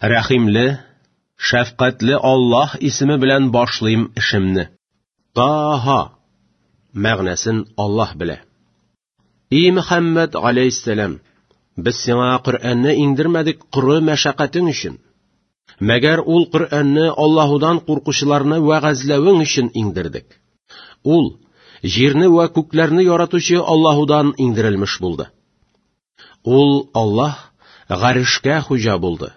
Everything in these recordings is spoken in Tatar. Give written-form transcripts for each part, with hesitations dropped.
Рәхимле, шәфкатьле Аллаһ исеме белән башлыйм эшемне. Таһа мәгънәсен Аллаһ белә. И Мөхәммәд галәйһиссәлам, без сиңа Коръәнне иңдермәдек коры мәшәкатең өчен. Мәгәр ул Коръәнне Аллаһудан куркучыларны вәгазьләвең өчен иңдердек. Ул җирне вә күкләрне яратучы Аллаһудан иңдерелмеш булды. Ул Аллаһ гарешкә хуҗа булды.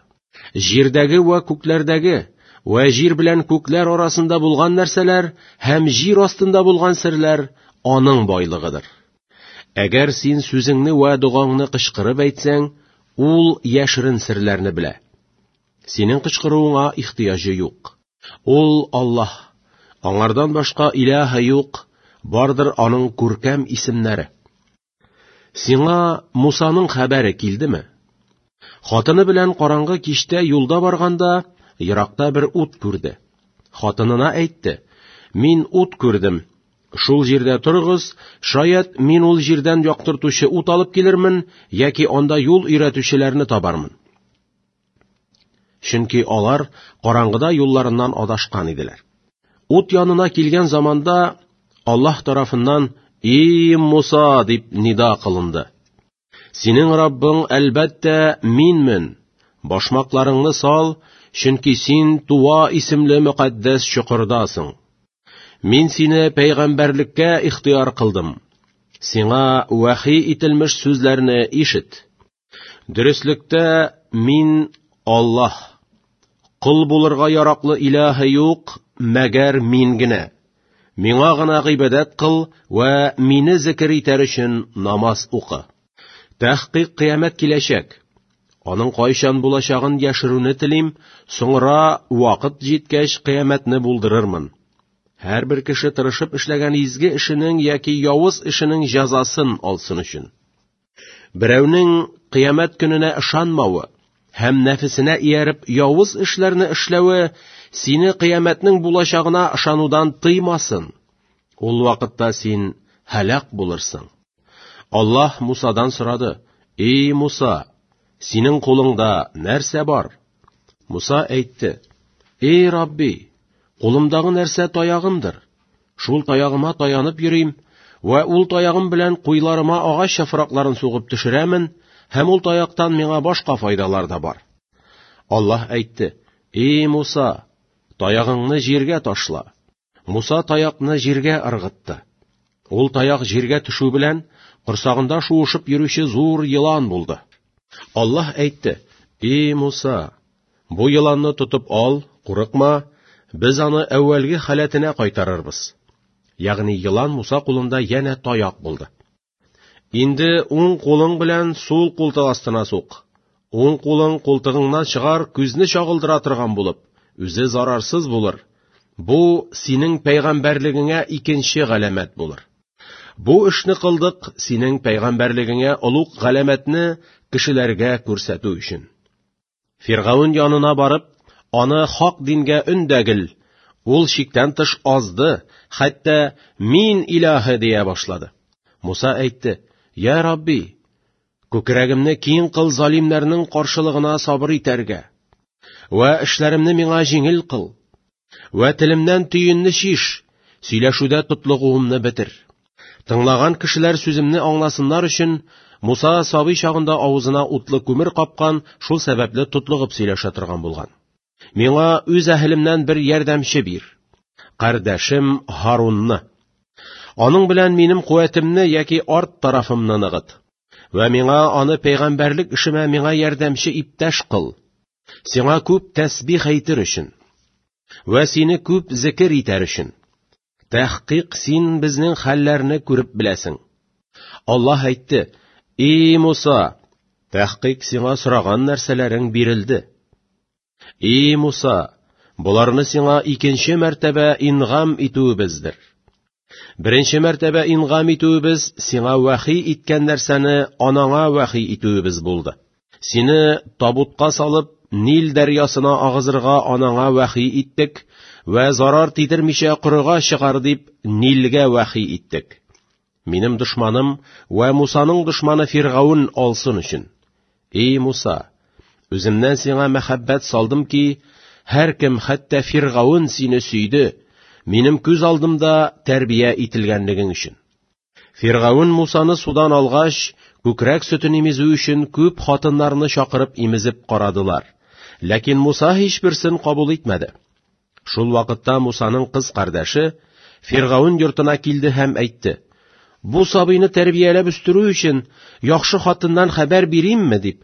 Җирдәге вә күкләрдәге вә җир белән күкләр арасында булган нәрсәләр һәм җир астында булган серләр аның байлыгыдыр. Әгәр син сүзеңне вә догаңны кычкырып әйтсәң, ул яшерен серләрне белә. Синең кычкыруыңа ихтыяҗы юк. Ул Аллаһ. Аңардан башка илаһы юк, бардыр аның күркәм исемнәре. Сиңа Мусаның хәбәре килдеме? Хатыны белән караңгы кичтә юлда барганда, еракта бер ут күрде. Хатынына әйтте: "Мин ут күрдем. Шул җирдә торыгыз, шаять мин ул җирдән яктыртучы ут алып килермен яки анда юл өйрәтүчеләрне табармын." Чөнки алар караңгыда юлларыннан адашкан иделәр. Ут янына килгән заманда Аллаһ тарафыннан «И Муса!» дип нида кылынды. Синең Раббың, әлбәттә, минмен. Башмакларыңны сал, чөнки син Туа исемле мөкатдәс чокырдасың. Мин сине пәйгамбәрлеккә ихтыяр кылдым. Сиңа вәхи ителмеш сүзләрне ишет. Дөреслектә, мин Аллаһ. Кол булырга яраклы илаһы юк, мәгәр мин генә. Миңа гына гыйбадәт кыл вә мине зикер итәр өчен намаз укы. Тәхкыйк кыямәт киләчәк. Аның кайчан булачагын яшерүне телим, соңра вакыт җиткәч кыямәтне булдырырмын. Һәрбер кеше тырышып эшләгән изге эшенең яки явыз эшенең җәзасын алсын өчен. Берәүнең кыямәт көненә ышанмавы һәм нәфесенә ияреп явыз эшләрне эшләве сине кыямәтнең булачагына ышанудан тыймасын. Ул вакытта син һәлак булырсың. Аллаһ Мусадан сорады: "Эй Муса, синең кулыңда нәрсә бар?" Муса әйтте: "Эй Рабби, кулымдагы нәрсә таягымдыр. Шул таягыма таянып йөрим вә ул таягым белән куйларыма агач яфракларын сугып төшерәмен, һәм ул таяктан миңа башка файдалар да бар. Аллаһ әйтте: "Эй Муса, таягыңны җиргә ташла." Муса таякны җиргә ыргытты. Ул таяк җиргә төшү белән корсагында шуышып йөрүче зур елан булды. Аллаһ әйтте: "Эй Муса, Бу еланны тотып ал, курыкма, без аны әүвәлге халәтенә кайтарырбыз. Ягъни елан Муса кулында янә таяк булды. Инде уң кулың белән сул култык астына сук. Уң кулың култыгыңнан чыгар, күзне чагылдыра торган булып, үзе зарарсыз булыр. Бу синең пәйгамбәрлегеңә икенче галәмәт булыр. Бу эшне кылдык синең пәйгамбәрлегеңә олуг галәмәтне кешеләргә күрсәтү өчен. Фиргавен янына барып, аны хак дингә өндәгел. Ул чиктән тыш азды, хәтта мин илаһы дия башлады. Муса әйтте: "Я Рабби, күкрәгемне киң кыл залимнәрнең каршылыгына сабыр итәргә. Вә эшләремне миңа җиңел кыл. Вә телемнән төенне чиш, сөйләшүдә тотлыгуымны бетер. Тыңлаган кешеләр сүземне аңласыннар өчен, Муса сабый чагында авызына утлы күмер капкан, шул сәбәпле тотлыгып сөйләшә торган булган. Миңа үз әһелемнән бер ярдәмче бир. Кардәшем Һарунны. Аның белән минем куәтемне яки арт тарафымны ныгыт. Вә миңа аны пәйгамбәрлек эшемә миңа ярдәмче иптәш кыл. Сиңа күп тәсбих әйтер өчен вә сине күп зикер итәр өчен. Тәхкыйк син безнең хәлләрне күреп беләсең. Аллаһ әйтте: "И Муса, тәхкыйк сиңа сораган нәрсәләрең бирелде. И Муса, боларны сиңа икенче мәртәбә ингам итүебездер. Беренче мәртәбә ингам итүебез сиңа вәхи иткән нәрсәне анаңа вәхи итүебез булды. Сине табутка салып, Нил дәрьясына агызырга анаңа вәхи иттек вә зарар тидермичә корыга чыгар дип Нилгә вәхи иттек. Минем дошманым вә Мусаның дошманы Фиргаун алсын өчен. Эй Муса, Үземнән сиңа мәхәббәт салдым ки, һәркем, хәтта Фиргавен сине сөйде, минем күз алдымда тәрбия ителгәнлегең өчен. Фиргавен Мусаны судан алгач, күкрәк сөтен имезү өчен күп хатыннарны чакырып имезеп карадылар. Ләкин Муса һичберсен кабул итмәде. Шул вакытта Мусаның кыз кардәше Фиргавен йортына килде һәм әйтте: "Бу сабыйны тәрбияләп үстерү өчен яхшы хатыннан хәбәр биримме?" дип.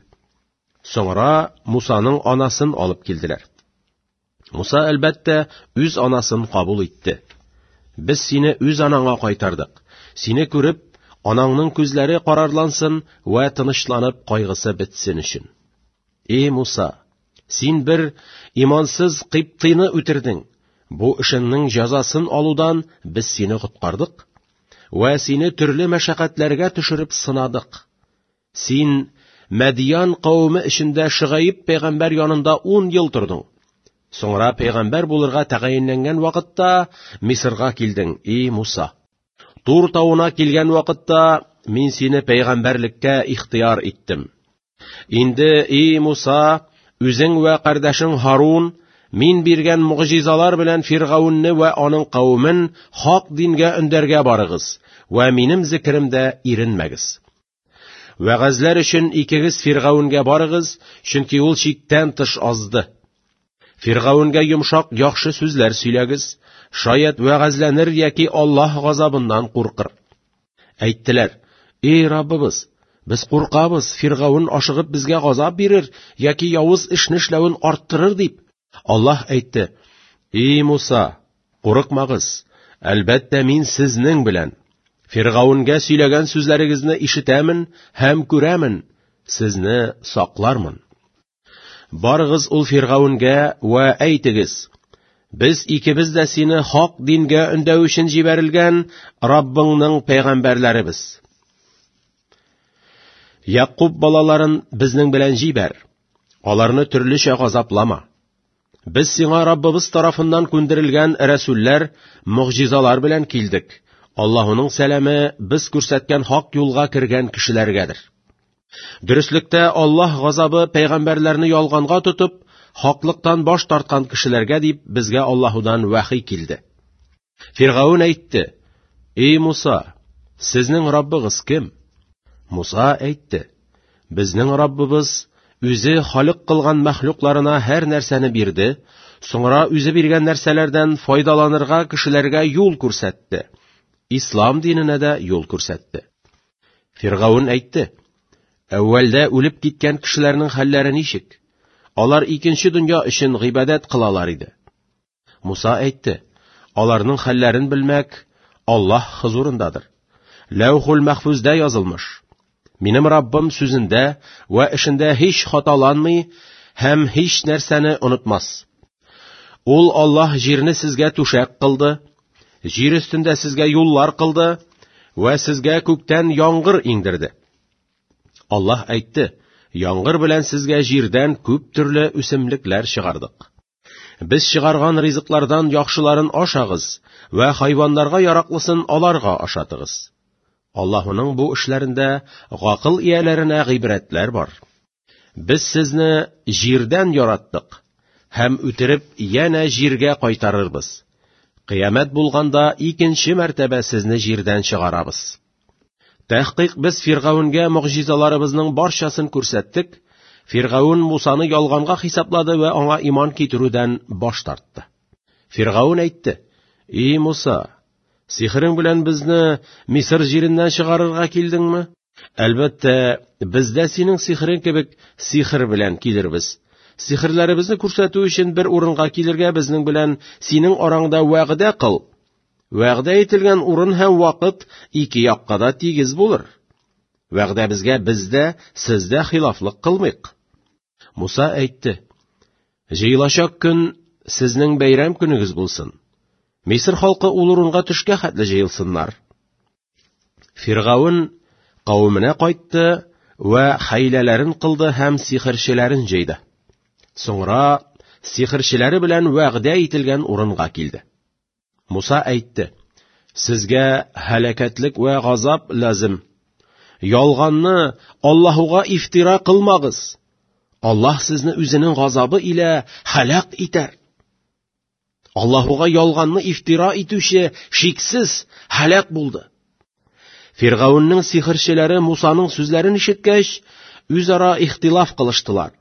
Соңра Мусаның анасын алып килделәр. Муса, әлбәттә, үз анасын кабул итте. Без сине үз анаңа кайтардык. Сине күреп, анаңның күзләре карарлансын вә тынычланып кайгысы бетсен өчен. Эй Муса, син бер имансыз Кыйптыйны үтердең. Бу эшеңнең җәзасын алудан без сине коткардык вә сине төрле мәшәкатьләргә төшереп сынадык. Син Мәдиян кавеме эчендә Шөгаиб пәйгамбәр янында 10 ел тордың. Соңра пәйгамбәр булырга тәгаенләнгән вакытта Мисырга килдең, эй Муса. Тур тавына килгән вакытта мин сине пәйгамбәрлеккә ихтыяр иттем. Инде, эй Муса, үзең вә кардәшең Һарун мин биргән могҗизалар белән Фиргавенне вә аның кавемен хак дингә өндәргә барыгыз вә минем зикеремдә иренмәгез. Вәгазьләр өчен икегез Фиргавенгә барыгыз, чөнки ул чиктән тыш азды. Фиргавенгә йомшак яхшы сүзләр сөйләгез, шаять вәгазьләнер яки Аллаһ газабыннан куркыр. Әйттеләр: "Эй Раббыбыз, без куркабыз, Фиргавен ашыгып безгә газап бирер яки явыз эшне эшләвен арттырыр дип." Аллаһ әйтте: "Эй Муса, курыкмагыз, әлбәттә мин сезнең белән. Фиргавенгә сөйләгән сүзләрегезне ишетәмен һәм күрәмен, сезне саклармын. Барыгыз ул Фиргавенгә вә әйтегез: Без икебез дә сине хак дингә өндәү өчен җибәрелгән Раббыңның пәйгамбәрләребез. Якуб балаларын безнең белән җибәр. Аларны төрлечә газаплама. Без сиңа Раббыбыз тарафыннан күндерелгән рәсүлләр, могҗизалар белән килдек. Аллаһуның сәламе без күрсәткән хак юлга кергән кешеләргәдер. Дөреслектә Аллаһ газабы пәйгамбәрләрне ялганга тотып, хаклыктан баш тарткан кешеләргә дип безгә Аллаһудан вәхи килде. Фиргаун әйтте: "Эй Муса, сезнең Раббыгыз кем?" Муса әйтте: "Безнең Раббыбыз үзе халык кылган мәхлукларына һәр нәрсәне бирде, соңра үзе биргән нәрсәләрдән файдаланырга кешеләргә юл күрсәтте. Ислам диненә дә юл күрсәтте." Фиргаун әйтте: "Әүвәлдә үлеп киткән кешеләрнең хәлләре ничек? Алар икенче дөнья өчен гыйбадәт кылалар иде." Муса әйтте: Аларның хәлләрен белмәк Аллаһ хозурындадыр. Ләүхул мәхфүздә язылмыш. Минем Раббым сүзендә вә эшендә һич хаталанмый һәм һич нәрсәне онытмас. Ул Аллаһ җирне сезгә түшәк кылды, җир өстендә сезгә юллар кылды вә сезгә күктән яңгыр иңдерде. Аллаһ әйтте: Яңгыр белән сезгә җирдән күп төрле үсемлекләр чыгардык. Без чыгарган ризыклардан яхшыларын ашагыз вә хайваннарга яраклысын аларга ашатыгыз. Аллаһуның бу эшләрендә гакыл ияләренә гыйбрәтләр бар. Без сезне җирдән яраттык һәм үтереп янә җиргә кайтарырбыз. Кыямәт булганда икенче мәртәбә сезне җирдән чыгарабыз. Тәхкыйк без Фиргавенгә могҗизаларыбызның барчасын күрсәттек. Фиргавен Мусаны ялганга хисаплады вә аңа иман китерүдән баш тартты. Фиргавен әйтте: "Эй Муса, сихерең белән безне Мисыр җиреннән чыгарырга килдеңме? Әлбәттә, без дә синең сихерең кебек сихер белән килербез. Сихерләребезне күрсәтү өчен бер урынга килергә безнең белән синең араңда вәгъдә кыл. Вәгъдә ителгән урын һәм вакыт ике якка да тигез булыр. Вәгъдәбезгә без дә, сез дә хилафлык кылмыйк. Муса әйтте: Җыелачак көн сезнең бәйрәм көнегез булсын. Мисыр халкы ул урынга төшкә хәтле җыелсыннар. Фиргавен кавеменә кайтты вә хәйләләрен кылды һәм сихерчеләрен җыйды. Соңра сихерчеләре белән вәгъдә ителгән урынга килде. Муса әйтте: Сезгә һәлакәтлек вә газап лазим. Ялганны Аллаһуга ифтира кылмагыз. Аллаһ сезне үзенең газабы илә һәлак итәр. Аллаһуга ялганны ифтира итүче шиксез һәлак булды. Фиргавеннең сихерчеләре Мусаның сүзләрен ишеткәч, үзара ихтилаф кылыштылар.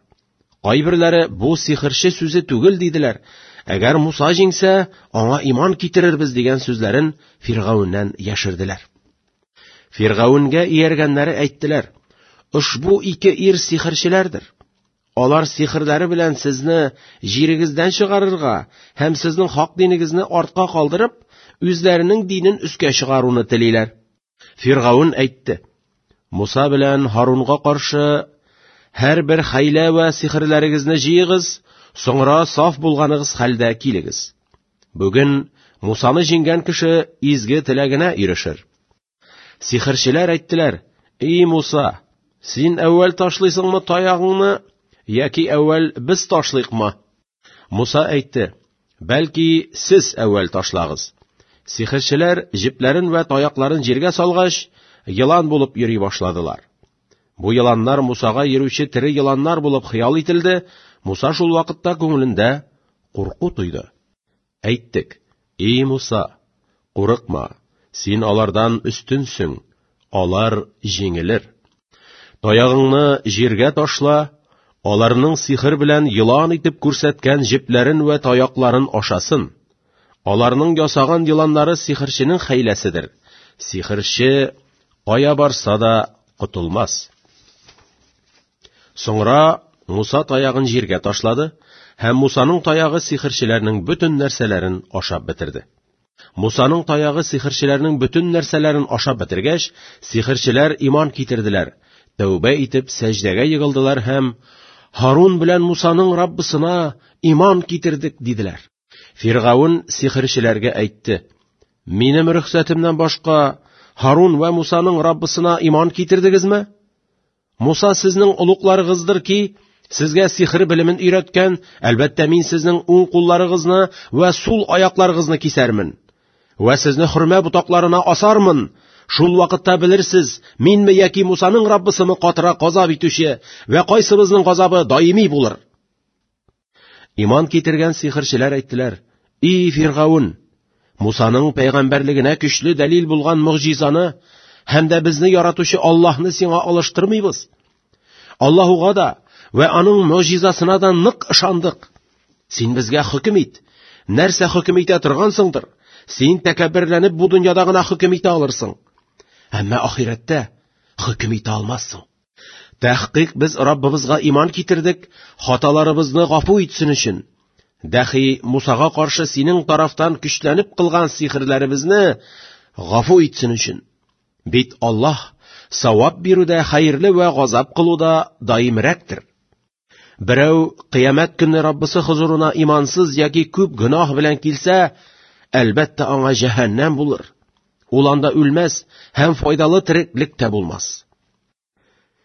Кайберләре бу сихерче сүзе түгел диделәр. Әгәр Муса җиңсә, аңа иман китерербез дигән сүзләрен Фиргавеннән яшерделәр. Фиргавенгә ияргәннәре әйттеләр: "Ошбу ике ир сихерчеләрдер. Алар сихерләре белән сезне җирегездән чыгарырга һәм сезнең хак динегезне артка калдырып, үзләренең динен өскә чыгаруны телиләр." Фиргавен әйтте: "Муса белән Һарунга каршы һәрбер хәйлә вә сихерләрегезне җыегыз, соңра саф булганыгыз хәлдә килегез. Бүген Мусаны җиңгән кеше изге теләгенә ирешер." Сихерчеләр әйттеләр: "И Муса, син әүвәл ташлыйсыңмы таягыңны, яки әүвәл без ташлыйкмы?" Муса әйтте: "Бәлки сез әүвәл ташлагыз." Сихерчеләр җепләрен вә таякларын җиргә салгач, елан булып йөри башладылар. Бу еланнар Мусага йөрүче тере еланнар булып хыял ителде. Муса шул вакытта күңелендә курку тойды. Әйттек: "И Муса, курыкма, син алардан өстенсең, алар җиңелер. Таягыңны җиргә ташла, аларның сихер белән елан итеп күрсәткән җепләрен вә таякларын ашасын. Аларның ясаган еланнары сихерченең хәйләседер. Сихерче кая барса да котылмас." Соңра Муса таягын җиргә ташлады, һәм Мусаның таягы сихерчеләрнең бөтен нәрсәләрен ашап бетерде. Мусаның таягы сихерчеләрнең бөтен нәрсәләрен ашап бетергәч, сихерчеләр иман китерделәр, тәүбә итеп сәҗдәгә егылдылар һәм Һарун белән Мусаның Раббысына иман китердек диделәр. Фиргавен сихерчеләргә әйтте: "Минем рөхсәтемнән башка Һарун вә Мусаның Раббысына иман китердегезме? Муса сезнең олугларыгыздыр ки, сезгә сихер белемен өйрәткән, әлбәттә мин сезнең уң кулларыгызны вә сул аякларыгызны кисәрмен вә сезне хөрмә ботакларына асармын. Шул вакытта белерсез, минме яки Мусаның Раббысымы катырак газап итүче вә кайсыбызның газабы даими булыр." Иман китергән сихерчеләр әйттеләр: "И Фиргавен, Мусаның пәйгамбәрлегенә көчле дәлил булган мөгъҗизаны һәм дә безне яратучы Аллаһны сиңа алыштырмыйбыз. Аллаһуга да вә аның мөгъҗизасына да нык ышандык. Син безгә хөкем ит. Нәрсә хөкем итә торгансыңдыр? Син тәкәбберләнеп бу дөньяда гына хөкем итә алырсың. Әмма ахирәттә хөкем итә алмассың. Тәхкыйк без Раббыбызга иман китердек, хаталарыбызны гафу итсен өчен. Дәхи Мусага каршы синең тарафтан көчләнеп кылган сихерләребезне гафу итсен өчен. Бит Аллаһ савап бирүдә хәерле вә газап кылуда даимрәктер. Берәү кыямәт көнне Раббысы хозурына имансыз яки күп гөнаһ белән килсә, әлбәттә аңа җәһәннәм булыр. Ул анда үлмәс һәм файдалы тереклек тә булмас.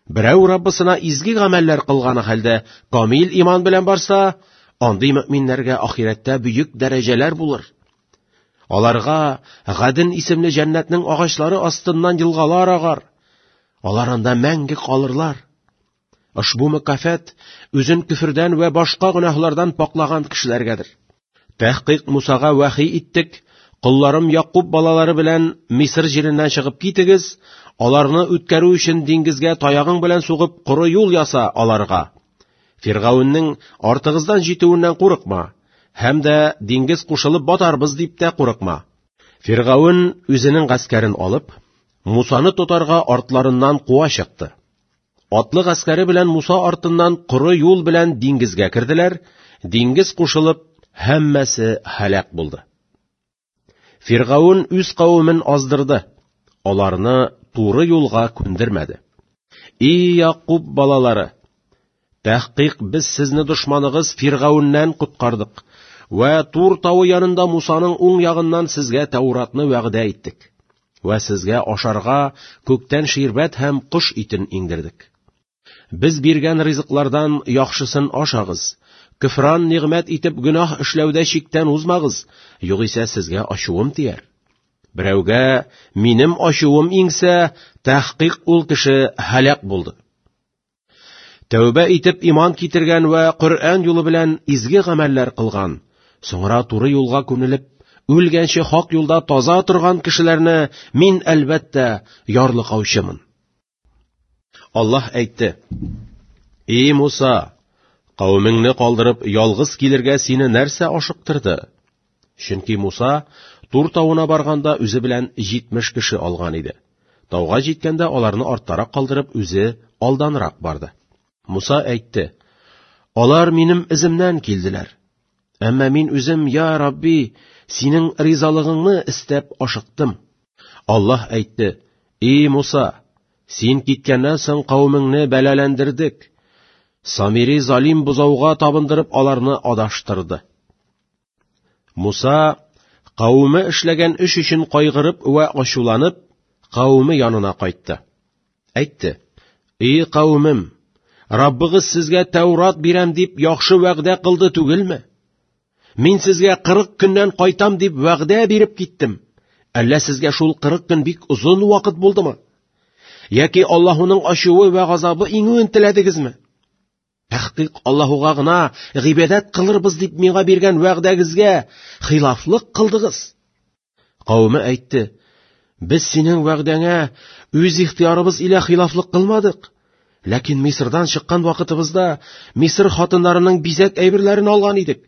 Берәү Раббысына изге гамәлләр кылганы хәлдә камил иман белән барса, андый мөэминнәргә ахирәттә бөек дәрәҗәләр булыр. Аларга Гаден исемле җәннәтнең агачлары астыннан елгалар агар. Алар анда мәңге калырлар. Ошбу мөкафат үзен көфердән вә башка гөнаһлардан паклаган кешеләргәдер. Тәхкыйк Мусага вәхи иттек, колларым Якуб балалары белән Мисыр җиреннән чыгып китегез, аларны үткәрү өчен диңгезгә таягың белән сугып коры юл яса аларга. Фиргавеннең артыгыздан җитүеннән курыкма, һәм дә диңгез кушылып батарбыз дип тә курыкма. Фиргавен үзенең гаскәрен алып, Мусаны тотарга артларыннан куа чыкты. Атлы гаскәре белән Муса артыннан коры юл белән диңгезгә керделәр, диңгез кушылып, һәммәсе һәлак булды. Фиргавен үз кавемен аздырды, аларны туры юлга күндермәде. И Якуб балалары, тәхкыйк без сезне дошманыгыз Фиргавеннән коткардык вә Тур тавы янында Мусаның уң ягыннан сезгә Тәуратны вәгъдә иттек вә сезгә ашарга күктән ширбәт һәм кош итен иңдердек. Без биргән ризыклардан яхшысын ашагыз, көфран нигъмәт итеп гөнаһ эшләүдә чиктән узмагыз, югыйсә сезгә ачуым тияр. Берәүгә минем ачуым иңсә, тәхкыйк ул кеше һәлак булды. Тәүбә итеп иман китергән вә Коръән юлы белән изге гамәлләр кылган, соңра туры юлга күнелеп, үлгәнче хак юлда таза торган кешеләрне мин, әлбәттә, ярлыкаучымын. Аллаһ әйтте: "И Муса, кавемеңне калдырып ялгыз килергә сине нәрсә ашыктырды?" Чөнки Муса Тур тавына барганда үзе белән 70 кеше алган иде. Тауга җиткәндә аларны арттарак калдырып, үзе алданрак барды. Муса әйтте: "Алар минем эземнән килделәр. Әмма мин үзем, я Рабби, синең ризалыгыңны истәп ашыктым." Аллаһ әйтте: "И Муса, син киткәннән соң кавемеңне бәлаләндердек. Самири залим бозауга табындырып аларны адаштырды." Муса кавеме эшләгән эш өчен кайгырып вә ачуланып, кавеме янына кайтты. Әйтте: "И кавемем, Раббыгыз сезгә Тәүрат бирәм дип яхшы вәгъдә кылды түгелме? Мин сезгә 40 көннән кайтам дип вәгъдә биреп киттем. Әллә сезгә шул 40 көн бик озын вакыт булдымы? Яки Аллаһуның ачуы вә газабы иңүен теләдегезме? Тәхкыйк Аллаһуга гына гыйбадәт кылырбыз дип миңа биргән вәгъдәгезгә хилафлык кылдыгыз. Кавеме әйтте: Без синең вәгъдәңә үз ихтыярыбыз илә хилафлык кылмадык. Ләкин Мисырдан чыккан вакытыбызда Мисыр хатыннарының бизәк әйберләрен алган идек.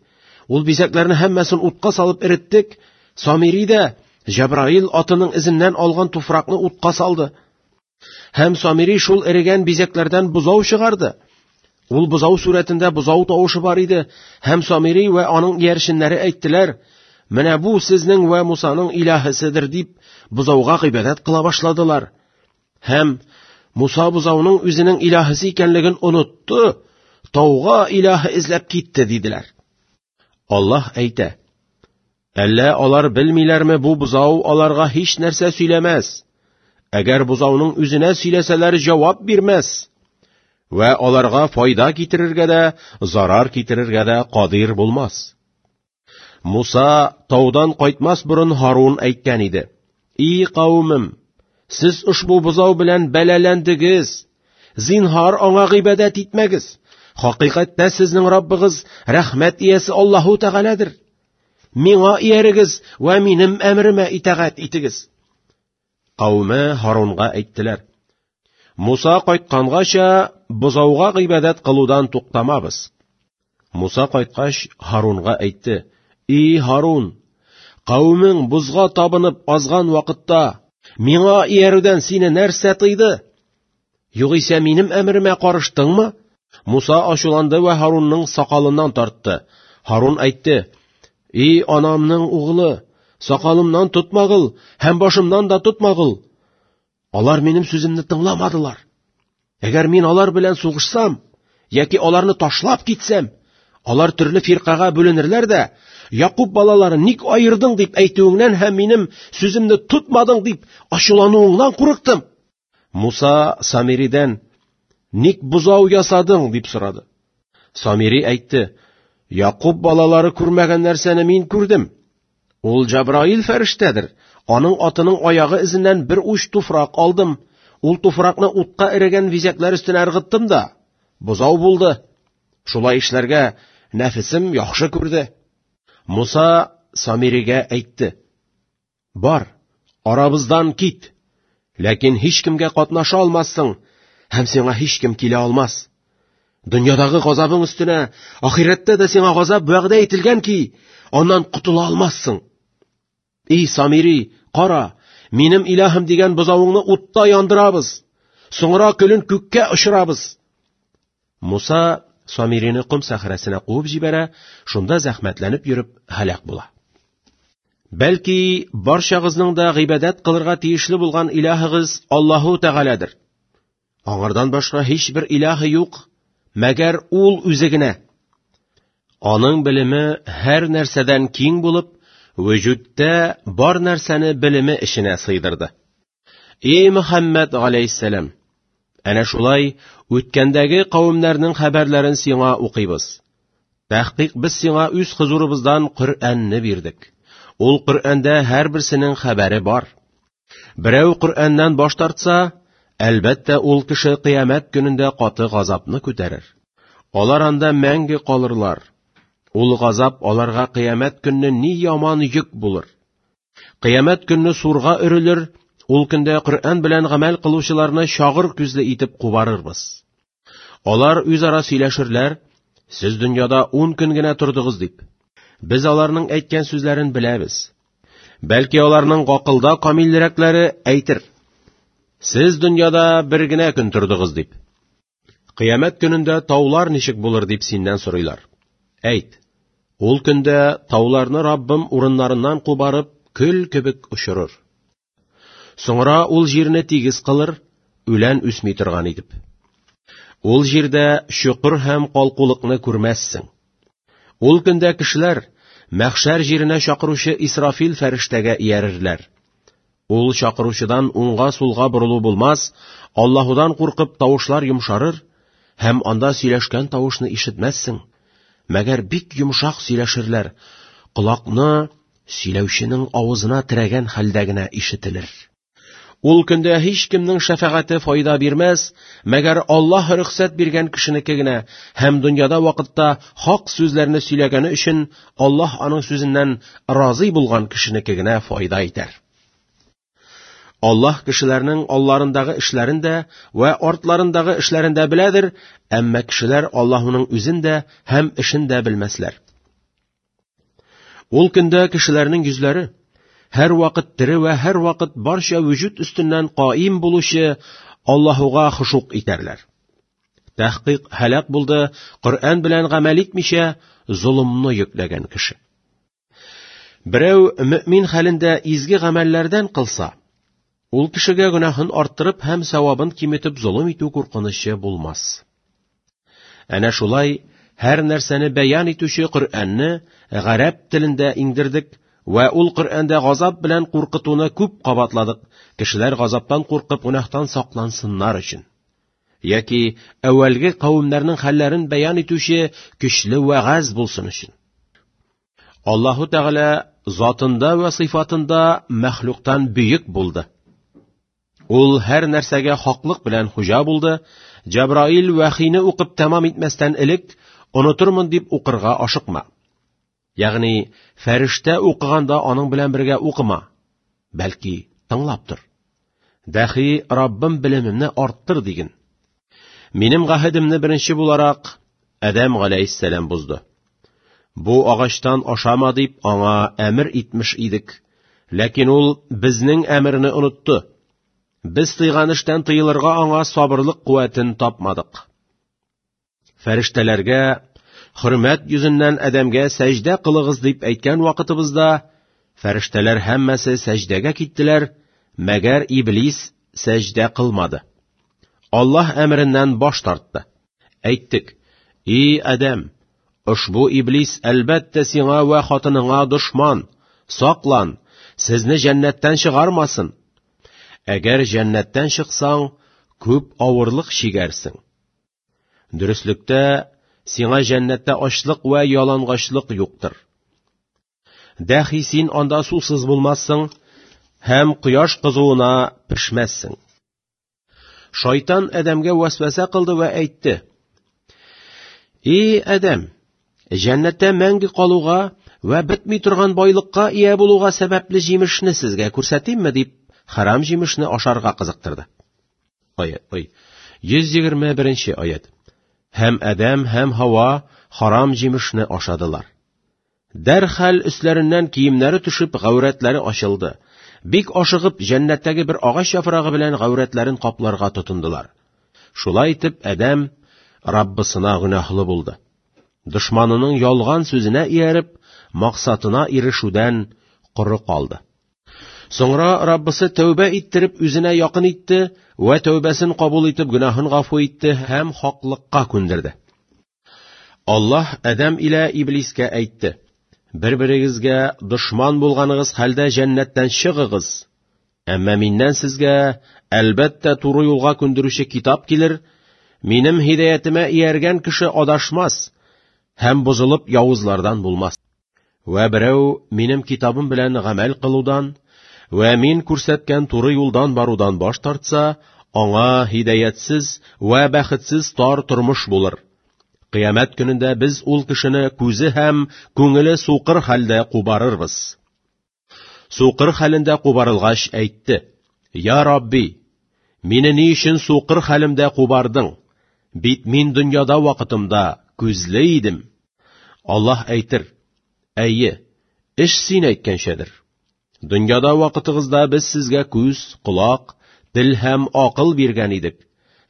Ул бизәкләрне һәммәсен утка салып эреттек. Самири дә Җәбраил атының эзеннән алган туфракны утка салды. Һәм Самири шул эрегән бизәкләрдән бозау чыгарды. Ул бозау сурәтендә бозау тавышы бар иде, һәм Самири вә аның иярченнәре әйттеләр: "Менә бу сезнең вә Мусаның илаһысыдыр" дип, бозауга гыйбадәт кыла башладылар. Һәм Муса бозауның үзенең илаһысы икәнлеген онытты, тауга илаһы эзләп китте диделәр. Аллаһ әйтә: Әллә алар белмиләрме, бу бозау аларга һич нәрсә сөйләмәс. Әгәр бозауның үзенә сөйләсәләр, җавап бирмәс. Вә аларга файда китерергә дә, зарар китерергә дә кадир булмас. Муса таудан кайтмас борын Һарун әйткән иде: "И кавемем, сез ошбу бозау белән бәлаләндегез. Зинһар аңа гыйбадәт итмәгез. Хакыйкатьтә сезнең Раббыгыз рәхмәт иясе Аллаһу Тәгаләдер. Миңа иярегез вә минем әмеремә итагать итегез. Кавеме Һарунга әйттеләр: Муса кайткангача бозауга гыйбадәт кылудан туктамабыз. Муса кайткач Һарунга әйтте: И Һарун, кавемең бозга табынып азган вакытта миңа иярүдән сине нәрсә тыйды? Югыйсә минем әмеремә карыштыңмы? Муса ачуланды вә Һарунның сакалыннан тартты. Һарун әйтте: "И анамның угылы, сакалымнан тотмагыл һәм башымнан да тотмагыл. Алар минем сүземне тыңламадылар. Әгәр мин алар белән сугышсам яки аларны ташлап китсәм, алар төрле фиркага бүленерләр дә, Якуб балаларын ник аердың дип әйтүеңнән һәм минем сүземне тотмадың дип ачулануыңнан курыктым. Муса Самиридән: "Ник бозау ясадың?" дип сорады. Самири әйтте: "Якуб балалары күрмәгән нәрсәне мин күрдем. Ул Җабраил фәрештәдер. Аның атының аягы эзеннән бер уч туфрак алдым. Ул туфракны утка эрегән бизәкләр өстенә ыргыттым да, бозау булды. Шулай эшләргә нәфесем яхшы күрде." Муса Самиригә әйтте: Бар, арабыздан кит. Ләкин һичкемгә катнаша алмассың, һәм сиңа һичкем килә алмас. Дөньядагы газабың өстенә ахирәттә дә сиңа газап вәгъдә ителгән ки, аннан котыла алмассың. И Самири, кара, минем илаһым дигән бозавыңны утта яндырабыз. Соңра көлен күккә очырабыз. Муса Самирине ком сәхрәсенә куып җибәрә, шунда зәхмәтләнеп йөреп һәлак була. Бәлки, барчагызның да гыйбадәт кылырга тиешле булган илаһыгыз Аллаһу Тәгаләдер. Аңардан башка һичбер илаһы юк, мәгәр ул үзе генә. Аның белеме һәр нәрсәдән киң булып, вөҗүдтә бар нәрсәне белеме эченә сыйдырды. Эй Мөхәммәд галәйһиссәлам, әнә шулай үткәндәге кавемнәрнең хәбәрләрен сиңа укыйбыз. Тәхкыйк без сиңа үз хозурыбыздан Коръәнне бирдек. Ул Коръәндә һәрберсенең хәбәре бар. Берәү Коръәннән баш тартса, Әлбәттә, ул кеше кыямәт көнендә каты газапны күтәрер. Алар анда мәңге калырлар. Ул газап аларга кыямәт көнне ни яман йөк булыр. Кыямәт көнне сурга өрелер, ул көндә Коръән белән гамәл кылучыларны чагыр күзле итеп кубарырбыз. Алар үзара сөйләшерләр, сез дөньяда 10 көн генә тордыгыз дип. Без аларның әйткән сүзләрен беләбез. Бәлки аларның гакылда камилрәкләре әйтер. Сез дөньяда бер генә көн тордыгыз дип. Кыямәт көнендә таулар ничек булыр дип синнән сорыйлар. Әйт, ул көндә тауларны Раббым урыннарыннан кубарып, көл кебек очырыр. Соңра ул җирне тигез кылыр, үлән үсми торган итеп. Ул җирдә чокыр һәм калкулыкны күрмәссең. Ул көндә кешеләр мәхшәр җиренә чакыручы Исрафил фәрештәгә иярерләр. Ул чакыручыдан уңга-сулга борылу булмас, Аллаһудан куркып тавышлар йомшарыр, һәм анда сөйләшкән тавышны ишетмәссең. Мәгәр бик йомшак сөйләшерләр, колакны сөйләүченең авызына терәгән хәлдә генә ишетелер. Ул көндә һич кемнең шәфәгате файда бирмәс, мәгәр Аллаһ рөхсәт биргән кешенеке генә һәм дөньяда вакытта хак сүзләрне сөйләгәне өчен Аллаһ аның сүзеннән разый булган кешенеке генә файда итәр. Аллаһ кешеләрнең алларындагы эшләрен дә вә артларындагы эшләрен дә беләдер, әмма кешеләр Аллаһуның үзен дә һәм эшен дә белмәсләр. Ул көндә кешеләрнең йөзләре һәр вакыт тере вә һәр вакыт барча вөҗүд өстеннән каим булучы Аллаһуга хошук итәрләр. Тәхкыйк һәлак булды Коръән белән гамәл итмичә золымны йөкләгән кеше. Берәү мөмин хәлендә изге гамәлләрдән кылса, ул кешегә гөнаһын арттырып һәм савабын киметеп золым итү куркынычы булмас. Әнә шулай һәр нәрсәне бәян итүче Коръәнне гарәп телендә иңдердек вә ул Коръәндә газап белән куркытуны күп кабатладык, кешеләр газаптан куркып гөнаһтан саклансыннар өчен. Яки әүвәлге кавемнәрнең хәлләрен бәян итүче көчле вәгазь булсын өчен. Аллаһу Тәгалә затында вә сыйфатында мәхлуктан бөек булды. Ул һәр нәрсәгә хаклык белән хуҗа булды. Җабраил вәхине укып тәмам итмәстән элек, онытырмын дип укырга ашыкма. Ягъни фәрештә укыганда аның белән бергә укыма, бәлки тыңлап тор. Дәхи Раббым белемемне арттыр диген. Минем гаһедемне беренче буларак Адәм галәйһиссәлам бозды. Бу агачтан ашама дип аңа әмер итмеш идек. Ләкин ул безнең әмерне онытты. Без тыйган эштән тыелырга аңа сабырлык куәтен тапмадык. Фәрештәләргә хөрмәт йөзеннән Адәмгә сәҗдә кылыгыз дип әйткән вакытыбызда фәрештәләр һәммәсе сәҗдәгә киттеләр, мәгәр Иблис сәҗдә кылмады. Аллаһ әмереннән баш тартты. Әйттек: "И Адәм, ошбу иблис әлбәттә сиңа вә хатыныңа дошман. Саклан, сезне җәннәттән чыгармасын. Әгәр җәннәттән чыксаң, күп авырлык чигәрсең. Дөреслектә, сиңа җәннәттә ачлык вә ялангачлык юктыр. Дәхи син анда сусыз булмассың һәм кояш кызуына пешмәссең. Шайтан Адәмгә вәсвәсә кылды вә әйтте: "И Адәм, җәннәттә мәңге калуга вә бетми торган байлыкка ия булуга сәбәпле җимешне сезгә күрсәтимме?" дип, харам җимешне ашарга кызыктырды. Аят, ой, 121 аят. Һәм Адәм һәм Һава харам җимешне ашадылар. Дәрхаль өсләреннән киемнәре төшеп, гаурәтләре ачылды. Бик ашыгып, җәннәттәге бер агач яфрагы белән гаурәтләрен капларга тотындылар. Шулай итеп, Адәм Раббысына гөнаһлы булды. Дошманының ялган сүзенә ияреп, максатына ирешүдән коры калды. Соңра Раббысы тәүбә иттереп үзенә якын итте вә тәүбәсен кабул итеп гөнаһын гафу итте һәм хаклыкка күндерде. Аллаһ Адәм илә Иблискә әйтте: Бер-берегезгә дошман булганыгыз хәлдә җәннәттән чыгыгыз. Әмма миннән сезгә әлбәттә туры юлга күндерүче китап килер. Минем һидаятемә ияргән кеше адашмас һәм бозылып явызлардан булмас. Вә берәү минем китабым белән гамәл кылудан вә мин күрсәткән туры юлдан барудан баш тартса, Аңа һидаятсез вә бәхетсез тар тормыш булыр. Кыямәт көнендә без ул кешене күзе һәм күңеле сукыр хәлдә кубарырбыз. Сукыр хәлендә кубарылгач әйтте: «Я Рабби, мине ни өчен сукыр хәлемдә кубардың? Бит мин дөньяда вакытымда күзле идем». Аллаһ әйтер: «Әйе, эш син әйткәнчәдер. Дөньяда вакытыгызда без сезгә күз, колак, тел һәм акыл биргән идек,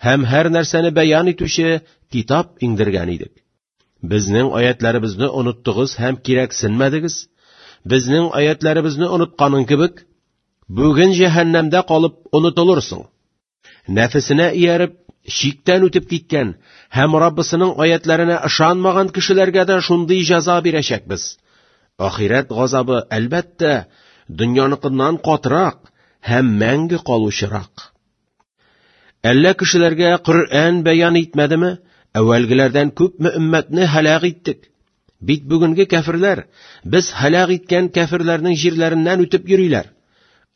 һәм һәр нәрсәне бәян итүче китап иңдергән идек. Безнең аятларыбызны оныттыгыз һәм кирәксенмәдегез. Безнең аятларыбызны онытканың кебек, бүген җәһәннәмдә калып онытылырсың. Нәфесенә ияреп, чиктән үтеп киткән һәм Раббысының аятларына ышанмаган кешеләргә дә шундый җәза бирәчәкбез. Ахирәт газабы, әлбәттә, дөньяныкыннан катырак һәм мәңге калучырак. Әллә кешеләргә Коръән бәян итмәдеме? Әүвәлгеләрдән күпме өммәтне һәлак иттек. Бит бүгенге кәферләр без һәлак иткән кәферләрнең җирләреннән үтеп йөриләр.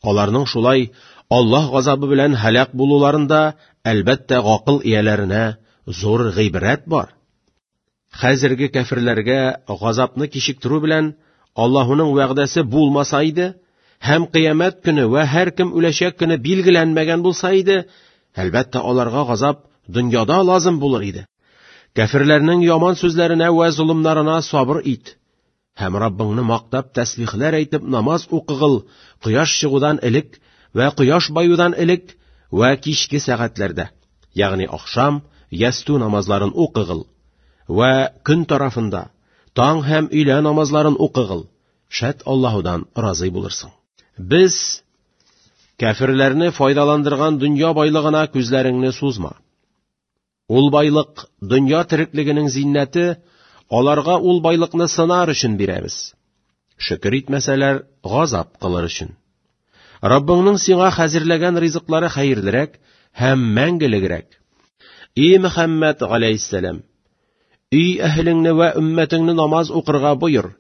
Аларның шулай Аллаһ газабы белән һәлак булуларында, әлбәттә, гакыл ияләренә зур гыйбрәт бар. Хәзерге кәферләргә газапны кичектерү белән Аллаһуның вәгъдәсе булмаса иде, һәм кыямәт көне вә һәркем үләчәк көне билгеләнмәгән булса иде, әлбәттә, аларга газап дөньяда лазым булыр иде. Кәферләрнең яман сүзләренә вә золымнарына сабыр ит. Һәм Раббыңны мактап тәсбихләр әйтеп намаз укыгыл кояш чыгудан элек вә кояш баюдан элек вә кичке сәгатьләрдә, ягъни ахшам, ястү намазларын укыгыл вә көн тарафында таң һәм өйлә намазларын укыгыл, шәт Аллаһудан разый булырсың. Без кәферләрне файдаландырган дөнья байлыгына күзләреңне сузма. Ул байлык дөнья тереклегенең зиннәте, аларга ул байлыкны сынар өчен бирәбез. Шөкер итмәсәләр, газап кылыр өчен. Раббыңның сиңа хәзерләгән ризыклары хәерлерәк һәм мәңгелегрәк. И Мөхәммәд галәйһиссәлам, өй әһелеңне вә өммәтеңне намаз укырга боер.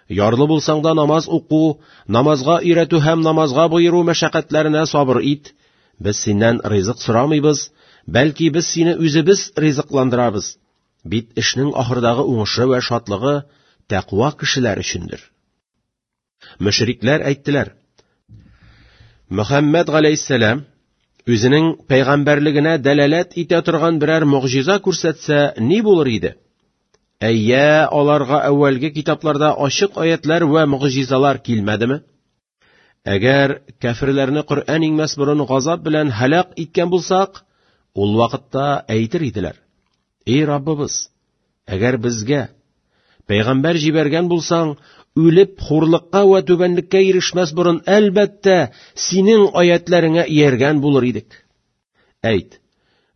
Ярлы булсаң да намаз уку, намазга өйрәтү һәм намазга боеру мәшәкатьләренә сабыр ит. Без синнән ризык сорамыйбыз, бәлки без сине үзебез ризыкландырабыз. Бит эшнең ахырдагы уңышы вә шатлыгы тәкъва кешеләр өчендер. Мөшрикләр әйттеләр: Мөхәммәд галәйһиссәлам үзенең пәйгамбәрлегенә дәлаләт итә торган берәр могҗиза күрсәтсә, ни булыр иде? Әйя, аларга әүвәлге китапларда ачык аятлар вә могҗизалар килмәдеме? Әгәр кәферләрне Коръән иңмәс борын газап белән һәлак иткән булсак, ул вакытта әйтер иделәр: Эй Раббыбыз, әгәр безгә пәйгамбәр җибәргән булсаң, үлеп хурлыкка вә түбәнлеккә ирешмәс борын, әлбәттә, синең аятларыңа ияргән булыр идек. Әйт,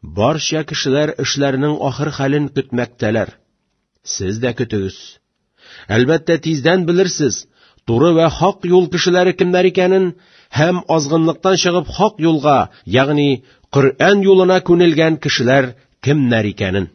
барча кешеләр эшләренең ахыр хәлен көтмәктәләр. Сез дә көтегез. Әлбәттә, тиздән белерсез, туры вә хак юл кешеләре кемнәр икәнен һәм азгынлыктан чыгып хак юлга, ягъни Коръән юлына күнелгән кешеләр кемнәр икәнен.